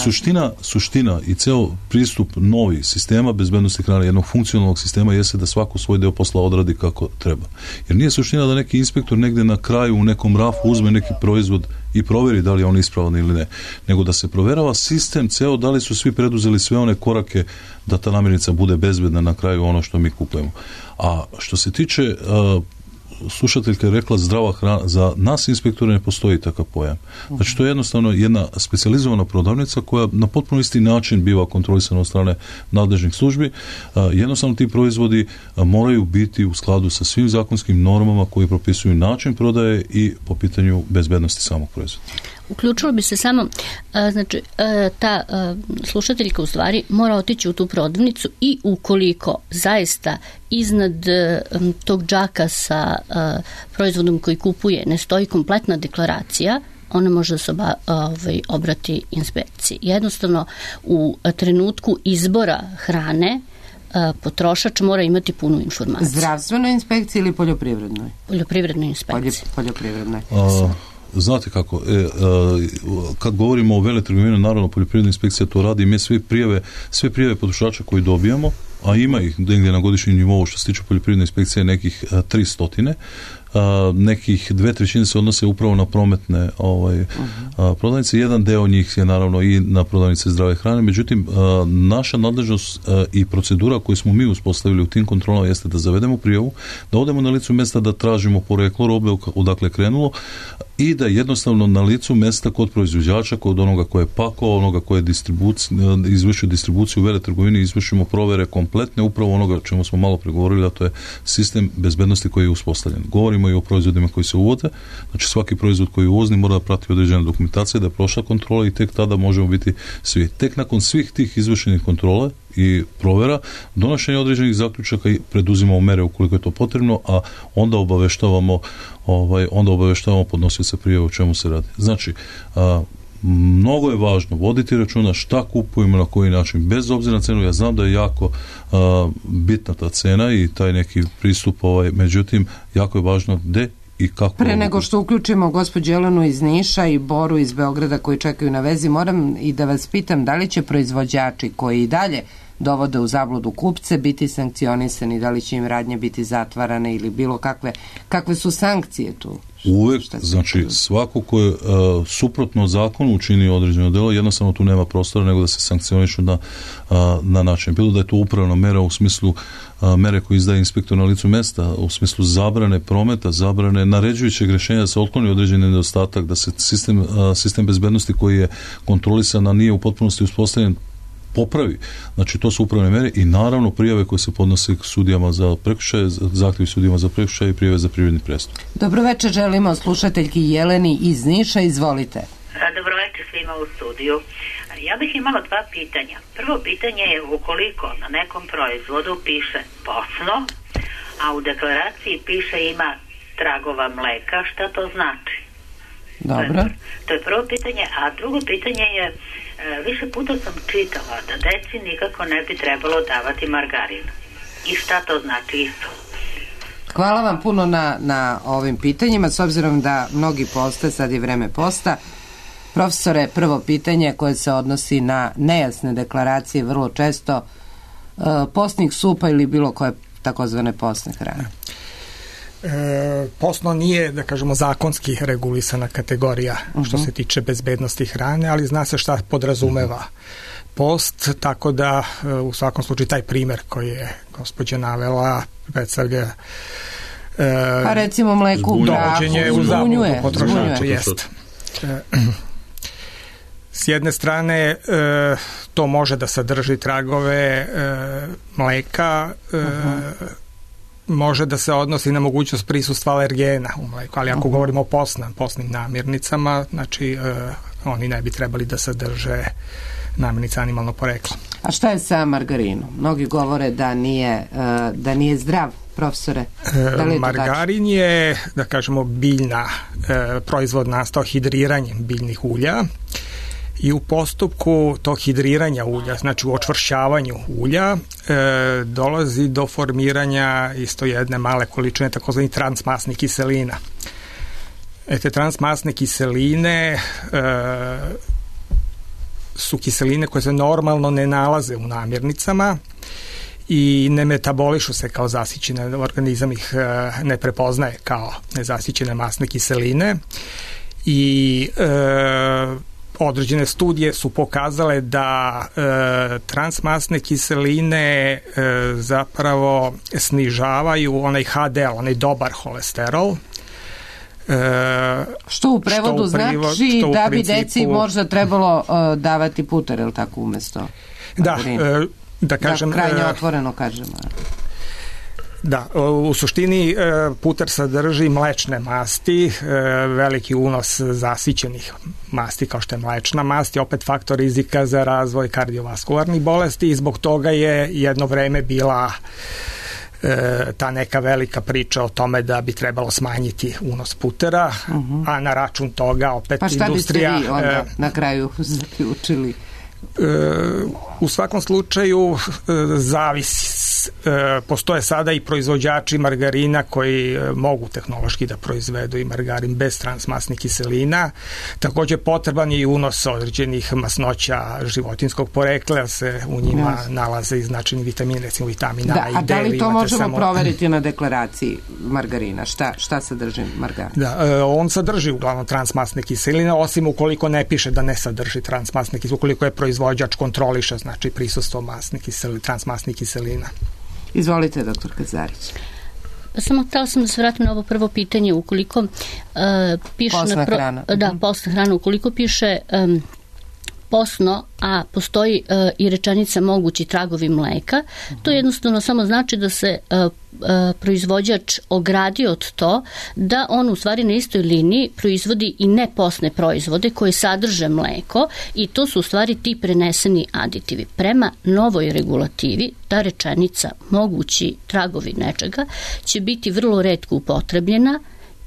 suština i ceo pristup novi sistema bezbednosti hrane, jednog funkcionalnog sistema, jeste da svako svoj deo posla odradi kako treba. Jer nije suština da neki inspektor negde na kraju u nekom rafu uzme neki proizvod i proveri da li je on ispravan ili ne, nego da se proverava sistem ceo, da li su svi preduzeli sve one korake da ta namirnica bude bezbedna na kraju ono što mi kupujemo. A što se tiče slušateljka je rekla zdrava hrana, za nas inspektora ne postoji takav pojam. Znači to je jednostavno jedna specijalizovana prodavnica koja na potpuno isti način biva kontrolisana od strane nadležnih službi. Jednostavno ti proizvodi moraju biti u skladu sa svim zakonskim normama koji propisuju način prodaje i po pitanju bezbednosti samog proizvoda. Uključilo bi se samo, znači, ta slušateljka u stvari mora otići u tu prodavnicu i ukoliko zaista iznad tog džaka sa proizvodom koji kupuje ne stoji kompletna deklaracija, ona može da se obrati inspekciji. Jednostavno, u trenutku izbora hrane potrošač mora imati punu informaciju. Zdravstvenoj inspekciji ili poljoprivrednoj? Poljoprivrednoj inspekciji. Poljoprivrednoj. Znate kako, kad govorimo o veletrgovini, naravno poljoprivredna inspekcija to radi, mi sve prijave potrošača koji dobijamo, a ima ih negdje na godišnjem nivou što se tiče poljoprivredne inspekcije nekih 300, nekih 2/3 se odnose upravo na prometne prodavnice. Jedan deo njih je naravno i na prodavnice zdrave hrane, međutim naša nadležnost i procedura koju smo mi uspostavili u tim kontrolama jeste da zavedemo prijavu, da odemo na licu mjesta, da tražimo poreklo robe odakle krenulo i da jednostavno na licu mjesta kod proizvođača, kod onoga koje je pakovao, onoga koje je izvršio distribuciju u veletrgovini, izvršimo provere kompletne upravo onoga o čemu smo malo pregovorili, a to je sistem bezbednosti koji je uspostavljen. Govorimo i o proizvodima koji se uvode, znači svaki proizvod koji je uvozni mora da prati određena dokumentacija, da je prošla kontrola i tek tada možemo biti svi. Tek nakon svih tih izvršenih kontrola i provera, donošenje određenih zaključaka i preduzimamo mere ukoliko je to potrebno, a onda obaveštavamo podnosioca prijave o čemu se radi. Znači, mnogo je važno voditi računa šta kupujemo, na koji način, bez obzira na cenu. Ja znam da je jako bitna ta cena i taj neki pristup, međutim, jako je važno gde i kako. Pre nego što uključimo gospođu Jelenu iz Niša i Boru iz Beograda koji čekaju na vezi, moram i da vas pitam da li će proizvođači koji i dalje dovode u zabludu kupce biti sankcionisani, da li će im radnje biti zatvarane ili bilo kakve su sankcije tu? Uvek, znači svako ko je suprotno zakonu učini određeno delo, jednostavno tu nema prostora nego da se sankcionišu na način. Bilo da je to upravna mera u smislu mere koje izdaje inspektor na licu mesta, u smislu zabrane prometa, zabrane naređujućeg rješenja da se otkloni određeni nedostatak, da se sistem bezbednosti koji je kontrolisan, a nije u potpunosti uspostavljen, popravi. Znači, to su upravne mere i naravno prijave koje se podnose sudijama za prekršaje, zahtjevi sudijama za prekršaje i prijave za privredni prestup. Dobro večer, želimo slušateljki Jeleni iz Niša, izvolite. Dobro večer svima u studiju. Ja bih imala dva pitanja. Prvo pitanje je ukoliko na nekom proizvodu piše posno, a u deklaraciji piše ima tragova mleka, šta to znači? Dobro. To je prvo pitanje, a drugo pitanje je više puta sam čitala da deci nikako ne bi trebalo davati margarin. I šta to znači isto? Hvala vam puno na ovim pitanjima, s obzirom da mnogi poste, sad je vreme posta. Profesore, prvo pitanje koje se odnosi na nejasne deklaracije, vrlo često postnih supa ili bilo koje takozvane postne hrane. Postno nije, da kažemo, zakonski regulisana kategorija što se tiče bezbednosti hrane, ali zna se šta podrazumeva post, tako da u svakom slučaju taj primer koji je gospođa navela predstavlja pa recimo mleko u dovođenje u zabludu potrošača. Jest. S jedne strane to može da sadrži tragove mleka, može da se odnosi na mogućnost prisustva alergena u mleku, ali ako govorimo o postnim namirnicama, znači oni ne bi trebali da sadrže namirnice animalnog porekla. A šta je sa margarinom? Mnogi govore da nije zdrav, profesore. Da li je margarin je, da kažemo, biljna proizvod nastao hidriranjem biljnih ulja i u postupku tog hidriranja ulja, znači u očvršćavanju ulja, dolazi do formiranja isto jedne male količine takozvanih transmasnih kiselina. Te transmasne kiseline su kiseline koje se normalno ne nalaze u namirnicama i ne metabolišu se kao zasićene, organizam ih ne prepoznaje kao nezasićene masne kiseline i određene studije su pokazale da transmasne kiseline zapravo snižavaju onaj HDL, onaj dobar holesterol. Što u prevodu znači da bi deci možda trebalo davati puter, ili tako, umesto margarina? Da kažem... Da, krajnje otvoreno kažemo. Da, u suštini puter sadrži mlečne masti, veliki unos zasićenih masti kao što je mlečna mast i opet faktor rizika za razvoj kardiovaskularnih bolesti i zbog toga je jedno vreme bila ta neka velika priča o tome da bi trebalo smanjiti unos putera, a na račun toga opet industrija... Pa šta biste vi onda na kraju zaključili? U svakom slučaju zavisi postoje sada i proizvođači margarina koji mogu tehnološki da proizvedu i margarin bez transmasnih kiselina. Takođe potreban je i unos određenih masnoća životinskog porekla, se u njima nalaze i značajni vitamini, recimo vitamina A i D. A da li to možemo proveriti na deklaraciji margarina? Šta sadrži margarin? Da, on sadrži uglavnom transmasne kiseline, osim ukoliko ne piše da ne sadrži transmasne kiseline, ukoliko je proizvođač kontroliše, znači prisustvo transmasnih kiselina. Izvolite, doktor Kazarić. Samo htela sam da se vratim na ovo prvo pitanje, ukoliko piše posna hrana. Da, posna hrana, ukoliko piše posno, a postoji i rečenica mogući tragovi mleka, to jednostavno samo znači da se proizvođač ogradi od to da on u stvari na istoj liniji proizvodi i neposne proizvode koje sadrže mleko i to su u stvari ti preneseni aditivi. Prema novoj regulativi ta rečenica mogući tragovi nečega će biti vrlo retko upotrebljena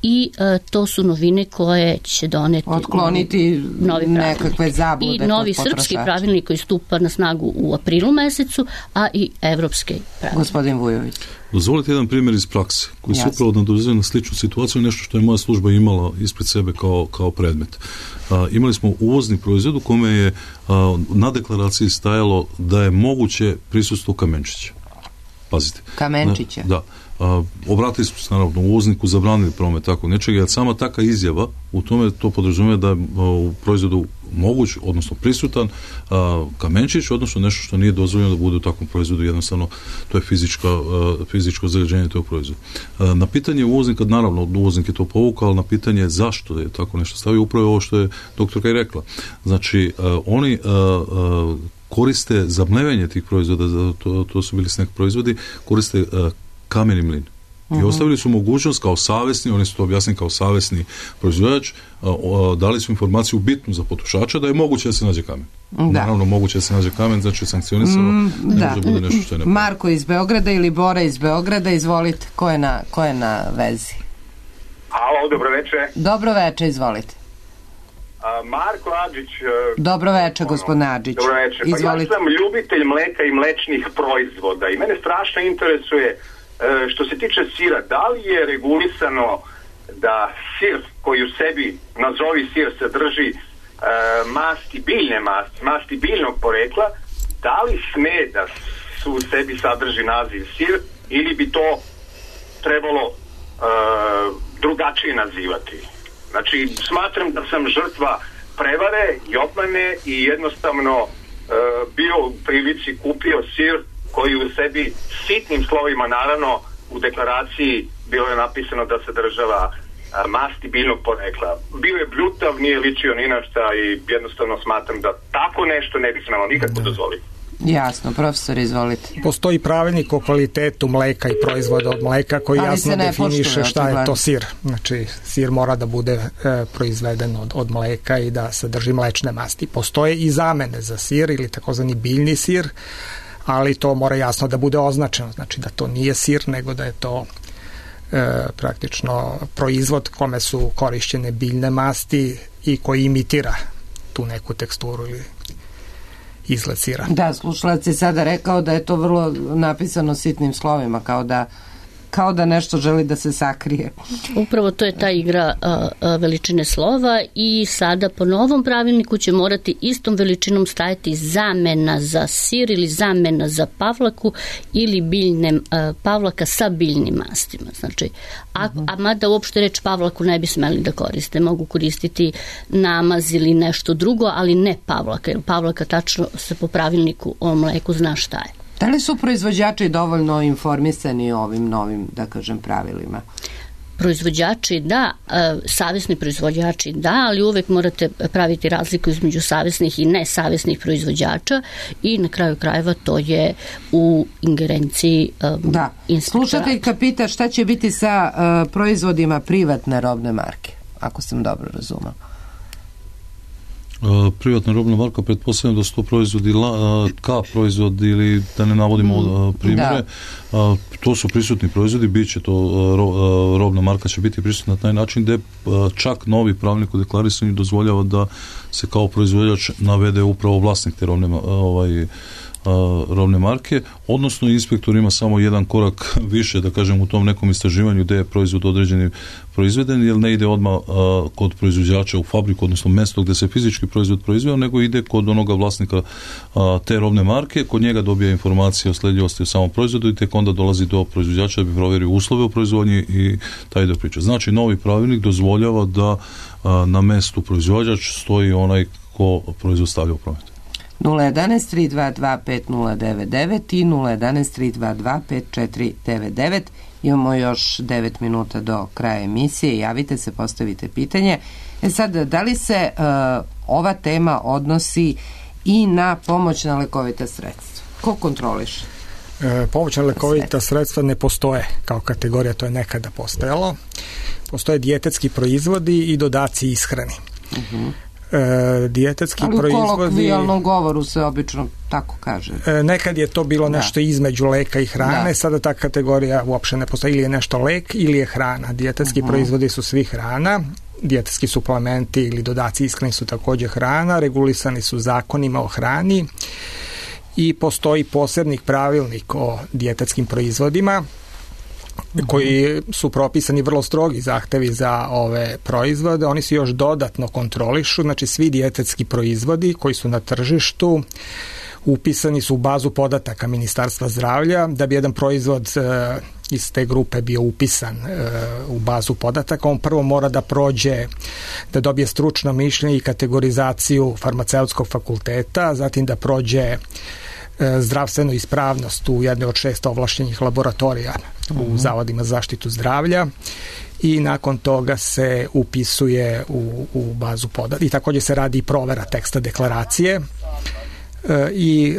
i to su novine koje će doneti otkloniti nekakve zablude i novi srpski pravilnik koji stupa na snagu u aprilu mesecu, a i evropski pravilnik. Gospodin Vujović. Dozvolite jedan primjer iz prakse koji se upravo nadovezuje na sličnu situaciju, nešto što je moja služba imala ispred sebe kao predmet. Imali smo uvozni proizvod u kome je na deklaraciji stajalo da je moguće prisustvo kamenčića. Pazite. Kamenčića? Da. Obratili smo se naravno uvozniku, zabranili promet tako nečega, jer sama taka izjava u tome to podrazumijeva da je u proizvodu moguć, odnosno prisutan kamenčić, odnosno nešto što nije dozvoljeno da bude u takvom proizvodu, jednostavno to je fizičko zagađenje tog proizvoda. Na pitanje uvoznika, naravno uvoznik je to povukao, ali na pitanje zašto je tako nešto stavio, upravo ovo što je doktorka i rekla. Znači, oni koriste za mlevenje tih proizvoda, to su bili snack proizvodi, koriste kameni mlin. I ostavili su mogućnost kao savjesni, oni su to objasnili kao savjesni proizvođač, dali su informaciju bitnu za potrošača da je moguće da se nađe kamen. Naravno, moguće da se nađe kamen, znači sankcionisano, ne može bude nešto što je nepravno. Marko iz Beograda ili Bora iz Beograda, izvolite, ko je na vezi? Alo, dobro veče. Dobro veče, izvolite. Marko Adžić. Dobro veče, gospodine Adžić. Dobro veče. Pa ja sam ljubitelj mleka i mlečnih proizvoda i mene strašno interesuje što se tiče sira, da li je regulisano da sir koji u sebi, nazovi sir, sadrži masti biljnog porekla, da li sme da su u sebi sadrži naziv sir ili bi to trebalo drugačije nazivati? Znači, smatram da sam žrtva prevare i obmane i jednostavno bio u prilici kupio sir koji u sebi sitnim slovima, naravno u deklaraciji bilo je napisano da sadržava masti biljnog porekla. Bio je bljutav, nije ličio ni na šta i jednostavno smatram da tako nešto ne bi smelo nikako dozvoliti. Jasno, profesor, izvolite. Postoji pravilnik o kvalitetu mleka i proizvoda od mleka koji jasno definiše šta je to sir. Znači, sir mora da bude proizveden od mleka i da sadrži mlečne masti. Postoje i zamene za sir ili takozvani biljni sir, ali to mora jasno da bude označeno. Znači da to nije sir, nego da je to praktično proizvod kome su korišćene biljne masti i koji imitira tu neku teksturu ili izgled sira. Da, slušalac je sada rekao da je to vrlo napisano sitnim slovima, kao da nešto želi da se sakrije. Upravo to je ta igra veličine slova i sada po novom pravilniku će morati istom veličinom stajati zamena za sir ili zamena za pavlaku ili biljne pavlaka sa biljnim mastima. Znači, a mada uopšte reč pavlaku ne bi smeli da koriste. Mogu koristiti namaz ili nešto drugo, ali ne pavlaka, jer pavlaka tačno se po pravilniku o mleku zna šta je. Da li su proizvođači dovoljno informisani o ovim novim, da kažem, pravilima? Proizvođači da, savjesni proizvođači da, ali uvek morate praviti razliku između savjesnih i nesavjesnih proizvođača i na kraju krajeva to je u ingerenciji da. Slušateljka pita šta će biti sa proizvodima privatne robne marke, ako sam dobro razumela. Privatna robna marka, pretpostavljam da su to proizvodi proizvod ili da ne navodimo primjere, to su prisutni proizvodi, bit će to robna marka će biti prisutna na taj način gde čak novi pravilnik u deklarisanju dozvoljava da se kao proizvođač navede upravo vlasnik te robne robne marke, odnosno inspektor ima samo jedan korak više, da kažem, u tom nekom istraživanju gdje je proizvod određeni proizveden, jer ne ide odmah kod proizvođača u fabriku, odnosno mjesto gdje se fizički proizvod proizveo, nego ide kod onoga vlasnika te robne marke, kod njega dobija informacije o sledljivosti u samom proizvodu i tek onda dolazi do proizvođača da bi provjerio uslove u proizvodnji i taj dio priče. Znači, novi pravilnik dozvoljava da na mjestu proizvođač stoji onaj ko proizvod stavlja u promet. 011-322-5099 i 011-322-5499. Imamo još 9 minuta do kraja emisije. Javite se, postavite pitanje. Sad, da li se ova tema odnosi i na pomoćna lekovita sredstva? Ko kontroliše? Pomoćna lekovita sredstva ne postoje kao kategorija, to je nekada postojalo. Postoje dijetetski proizvodi i dodaci ishrani. Dijetetski proizvodi... Ali u kolokvijalnom govoru se obično tako kaže. Nekad je to bilo nešto između leka i hrane, sada ta kategorija uopšte ne postoji, ili je nešto lek ili je hrana. Dijetetski proizvodi su svi hrana, dijetetski suplementi ili dodaci ishrani su također hrana, regulisani su zakonima o hrani i postoji posebni pravilnik o dijetetskim proizvodima koji su propisani vrlo strogi zahtevi za ove proizvode. Oni se još dodatno kontrolišu, znači svi dijetetski proizvodi koji su na tržištu upisani su u bazu podataka Ministarstva zdravlja. Da bi jedan proizvod iz te grupe bio upisan u bazu podataka, on prvo mora da prođe, da dobije stručno mišljenje i kategorizaciju farmaceutskog fakulteta, zatim da prođe zdravstvenu ispravnost u jednoj od 6 ovlaštenih laboratorija u zavodima za zaštitu zdravlja i nakon toga se upisuje u bazu podataka. I također se radi i provera teksta deklaracije i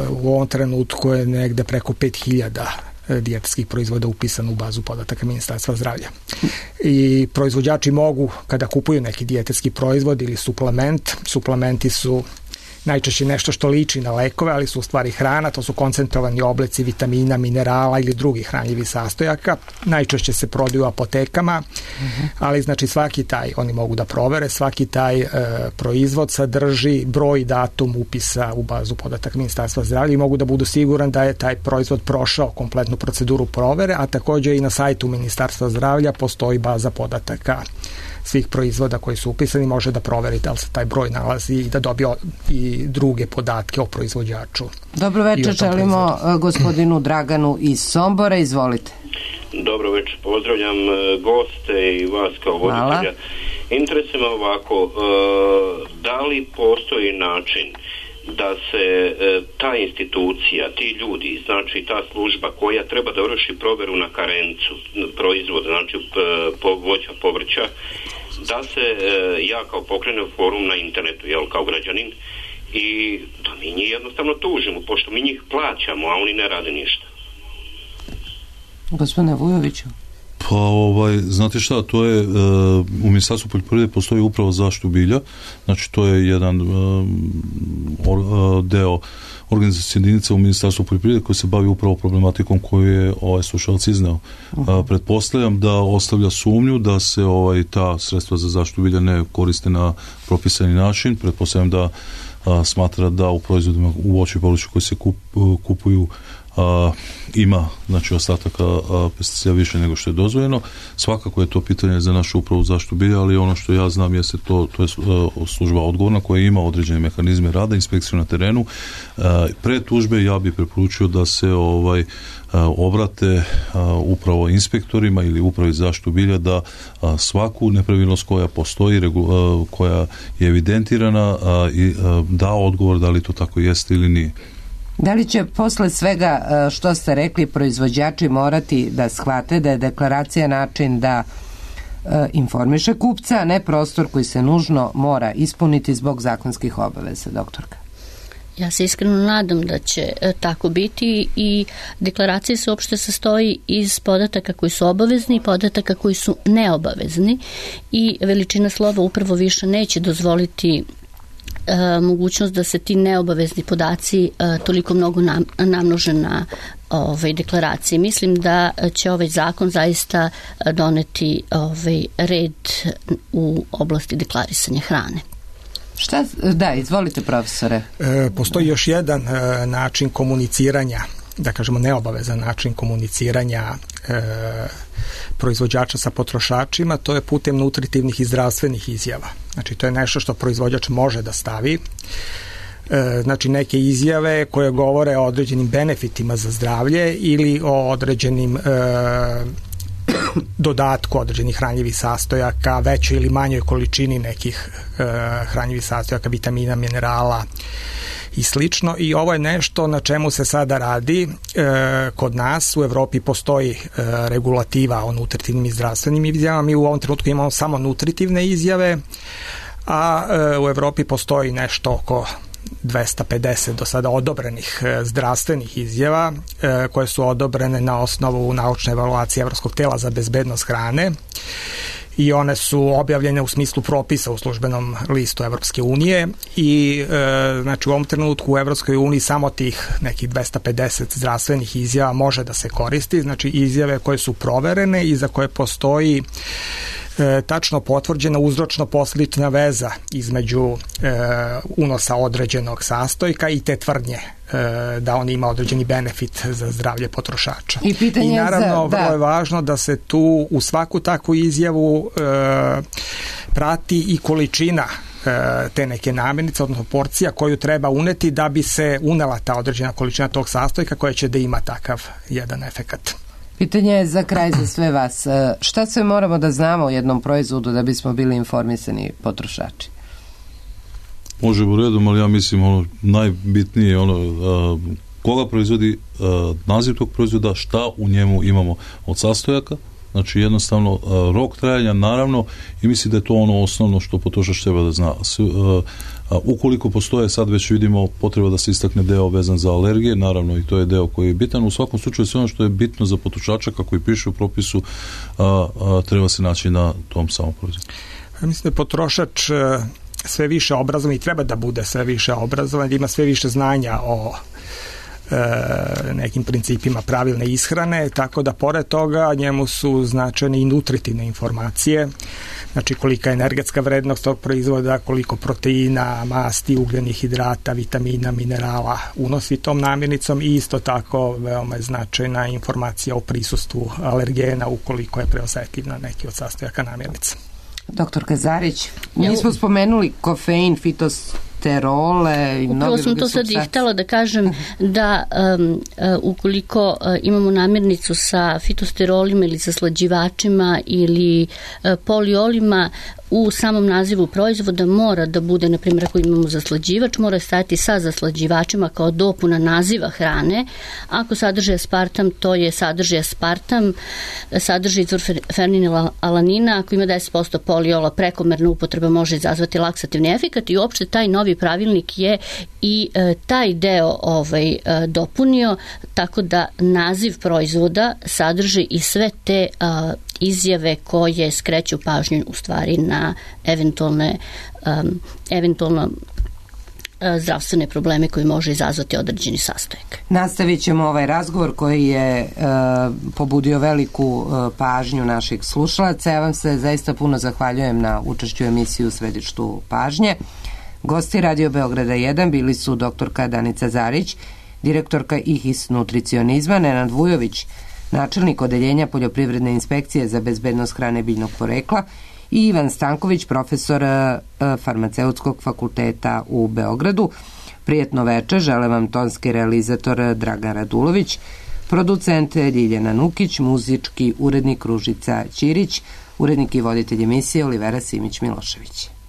u ovom trenutku je negde preko 5000 dijetetskih proizvoda upisano u bazu podataka Ministarstva zdravlja. I proizvođači mogu, kada kupuju neki dijetetski proizvod ili suplementi su najčešće nešto što liči na lekove, ali su u stvari hrana, to su koncentrovani oblici vitamina, minerala ili drugih hranjivih sastojaka. Najčešće se prodaju u apotekama, ali znači svaki taj, oni mogu da provere, svaki taj proizvod sadrži broj i datum upisa u bazu podataka Ministarstva zdravlja i mogu da budu siguran da je taj proizvod prošao kompletnu proceduru provere, a također i na sajtu Ministarstva zdravlja postoji baza podataka svih proizvoda koji su upisani, može da proveri da li se taj broj nalazi i da dobije i druge podatke o proizvođaču. Dobro večer, želimo gospodinu Draganu iz Sombora, izvolite. Dobro večer, pozdravljam goste i vas kao voditelja. Interesuje me ovako, da li postoji način da se ta institucija, ti ljudi, znači ta služba koja treba da vrši proveru na karencu proizvoda, znači voća, povrća, da se ja kao pokrenem forum na internetu, jel, kao građanin, i da mi njih jednostavno tužimo, pošto mi njih plaćamo, a oni ne rade ništa. Gospodine Vujoviću. Pa znate šta, to je u Ministarstvu poljoprivrede postoji upravo zaštitu bilja, znači to je jedan deo organizacijske jedinice u Ministarstvu poljoprivrede koji se bavi upravo problematikom koju je slušalac izneo. Pretpostavljam da ostavlja sumnju da se ta sredstva za zaštitu bilja ne koriste na propisani način, pretpostavljam da smatra da u proizvodima u voću i povrću koji se kupuju ima znači ostataka pesticida više nego što je dozvoljeno. Svakako je to pitanje za našu upravu zaštitu bilja, ali ono što ja znam jeste to je služba odgovorna koja ima određene mehanizme rada, inspekciju na terenu. Pre tužbe ja bih preporučio da se obrate upravo inspektorima ili upravi zaštitu bilja da svaku nepravilnost koja postoji, koja je evidentirana i da odgovor da li to tako jeste ili nije. Da li će posle svega što ste rekli proizvođači morati da shvate da je deklaracija način da informiše kupca, a ne prostor koji se nužno mora ispuniti zbog zakonskih obaveza, doktorka? Ja se iskreno nadam da će tako biti i deklaracija se uopšte sastoji iz podataka koji su obavezni i podataka koji su neobavezni i veličina slova upravo više neće dozvoliti mogućnost da se ti neobavezni podaci toliko mnogo namnože na deklaracije. Mislim da će ovaj zakon zaista doneti red u oblasti deklarisanja hrane. Da, izvolite profesore. Postoji još jedan način komuniciranja, da kažemo neobavezan način komuniciranja proizvođača sa potrošačima, to je putem nutritivnih i zdravstvenih izjava. Znači, to je nešto što proizvođač može da stavi. Znači, neke izjave koje govore o određenim benefitima za zdravlje ili o određenim dodatku određenih hranjivih sastojaka, većoj ili manjoj količini nekih hranjivih sastojaka, vitamina, minerala i slično. I ovo je nešto na čemu se sada radi. Kod nas u Evropi postoji regulativa o nutritivnim i zdravstvenim izjavama. Mi u ovom trenutku imamo samo nutritivne izjave, a u Evropi postoji nešto oko 250 do sada odobrenih zdravstvenih izjava koje su odobrene na osnovu naučne evaluacije Evropskog tela za bezbednost hrane i one su objavljene u smislu propisa u službenom listu Evropske unije i znači u ovom trenutku u Evropskoj uniji samo tih nekih 250 zdravstvenih izjava može da se koristi, znači izjave koje su proverene i za koje postoji tačno potvrđena uzročno-posledična veza između unosa određenog sastojka i te tvrdnje da on ima određeni benefit za zdravlje potrošača. I naravno vrlo je važno da se tu u svaku takvu izjavu prati i količina te neke namirnice, odnosno porcija koju treba uneti da bi se unela ta određena količina tog sastojka koja će da ima takav jedan efekat. Pitanje je za kraj za sve vas. Šta sve moramo da znamo o jednom proizvodu da bismo bili informisani potrošači? Može u redu, ali ja mislim najbitnije koga proizvodi, naziv tog proizvoda, šta u njemu imamo od sastojaka, znači jednostavno rok trajanja naravno, i mislim da je to ono osnovno što potrošač treba da zna. Ukoliko postoje, sad već vidimo potreba da se istakne deo vezan za alergije, naravno i to je deo koji je bitan. U svakom slučaju sve ono što je bitno za potrošača, kako i piše u propisu, treba se naći na tom samom proizvodu. Ja mislim da je potrošač sve više obrazovan i treba da bude sve više obrazovan, da ima sve više znanja o nekim principima pravilne ishrane, tako da pored toga njemu su značajne i nutritivne informacije, znači kolika je energetska vrednost tog proizvoda, koliko proteina, masti, ugljenih hidrata, vitamina, minerala unosi tom namirnicom i isto tako veoma je značajna informacija o prisustvu alergena ukoliko je preosetljiv na neki od sastojaka namirnice. Doktorka Zarić, mi smo spomenuli kofein, fitosterole i mnoge druge supstance. Upravo sam to sad i htjela da kažem da ukoliko imamo namirnicu sa fitosterolima ili sa slađivačima ili poliolima, u samom nazivu proizvoda mora da bude, na primjer, ako imamo zaslađivač, mora stajati sa zaslađivačima kao dopuna naziva hrane. Ako sadrži aspartam, to je sadrži aspartam, sadrži izvor fenilalanina, ako ima 10% poliola, prekomerna upotreba može izazvati laksativni efekat i uopšte taj novi pravilnik je i taj deo dopunio, tako da naziv proizvoda sadrži i sve te izjave koje skreću pažnju u stvari na eventualno zdravstvene probleme koji može izazvati određeni sastojak. Nastavit ćemo ovaj razgovor koji je pobudio veliku pažnju naših slušalaca. Ja vam se zaista puno zahvaljujem na učešću emisiju u središtu pažnje. Gosti Radio Beograda 1 bili su doktorka Danica Zarić, direktorka IHIS nutricionizma, Nenad Vujović, načelnik odeljenja Poljoprivredne inspekcije za bezbednost hrane biljnog porekla i Ivan Stanković, profesor Farmaceutskog fakulteta u Beogradu. Prijetno veče, žele vam tonski realizator Dragan Radulović, producent Ljiljana Nukić, muzički urednik Ružica Ćirić, urednik i voditelj emisije Olivera Simić-Milošević.